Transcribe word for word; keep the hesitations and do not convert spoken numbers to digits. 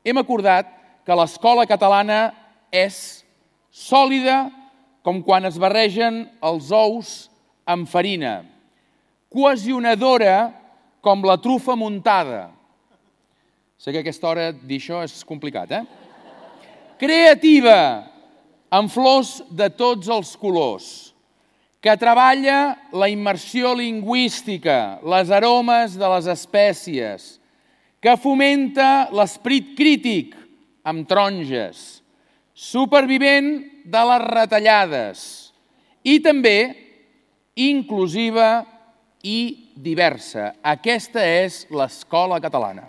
hem acordat que l'escola catalana és sòlida com quan es barregen els ous amb farina, cohesionadora com la trufa muntada. Sé que a aquesta hora dir això és complicat, eh? Creativa, amb flors de tots els colors, que treballa la immersió lingüística, les aromes de les espècies, que fomenta l'esperit crític amb taronges, supervivent de les retallades i també inclusiva i diversa. Aquesta és l'escola catalana.